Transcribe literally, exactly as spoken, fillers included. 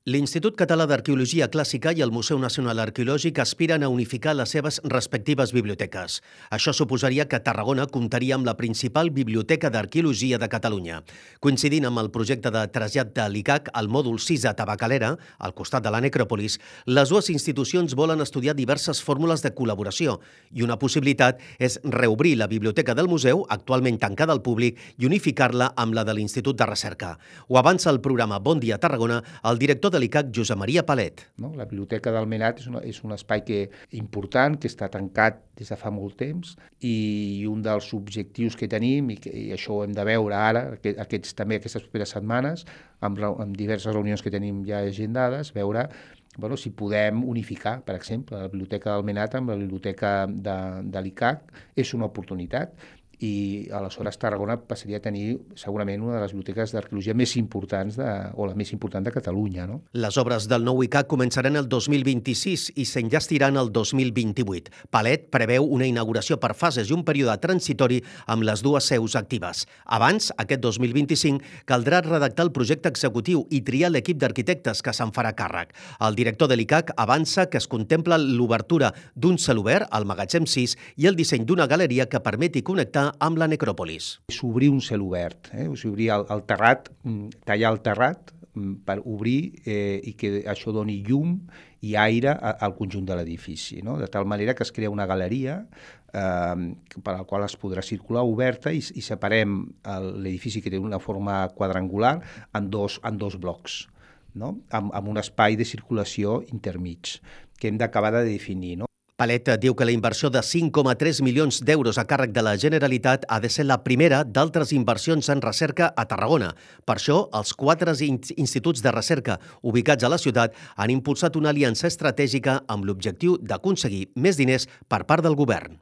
L'Institut Català d'Arqueologia Clàssica i el Museu Nacional Arqueològic aspiren a unificar les seves respectives biblioteques. Això suposaria que Tarragona comptaria amb la principal biblioteca d'arqueologia de Catalunya. Coincidint amb el projecte de trasllat de l'I C A C al mòdul sis a Tabacalera, al costat de la necròpolis, les dues institucions volen estudiar diverses fórmules de col·laboració i una possibilitat és reobrir la biblioteca del museu, actualment tancada al públic, i unificar-la amb la de l'Institut de Recerca. Ho avança el programa Bon Dia Tarragona, el director de l'I C A C, Josep Maria Palet. No? La Biblioteca del Menat és, una, és un espai que, important, que està tancat des de fa molt temps, i un dels objectius que tenim, i, que, i això ho hem de veure ara, aquests, també aquestes properes setmanes, amb, amb diverses reunions que tenim ja agendades, veure bueno, si podem unificar, per exemple, la Biblioteca del Menat amb la Biblioteca de, de l'I C A C. És una oportunitat, i aleshores Tarragona passaria a tenir segurament una de les biblioteques d'arqueologia més importants de, o la més important de Catalunya. No? Les obres del nou I C A C començaran el dos mil vint-i-sis i s'enllastiran el dos mil vint-i-vuit. Palet preveu una inauguració per fases i un període transitori amb les dues seus actives. Abans, aquest dos mil vint-i-cinc, caldrà redactar el projecte executiu i triar l'equip d'arquitectes que se'n farà càrrec. El director de l'I C A C avança que es contempla l'obertura d'un celobert, al magatzem sis, i el disseny d'una galeria que permeti connectar amb la necròpolis. És obrir un celobert, eh? O sigui, obrir el, el terrat, tallar el terrat per obrir eh, i que això doni llum i aire a, al conjunt de l'edifici, no? De tal manera que es crea una galeria eh, per la qual es podrà circular oberta i, i separem l'edifici, que té una forma quadrangular, en dos, en dos blocs, no? Amb, amb un espai de circulació intermig que hem d'acabar de definir, no? Palet diu que la inversió de cinc coma tres milions d'euros a càrrec de la Generalitat ha de ser la primera d'altres inversions en recerca a Tarragona. Per això, els quatre instituts de recerca ubicats a la ciutat han impulsat una aliança estratègica amb l'objectiu d'aconseguir més diners per part del govern.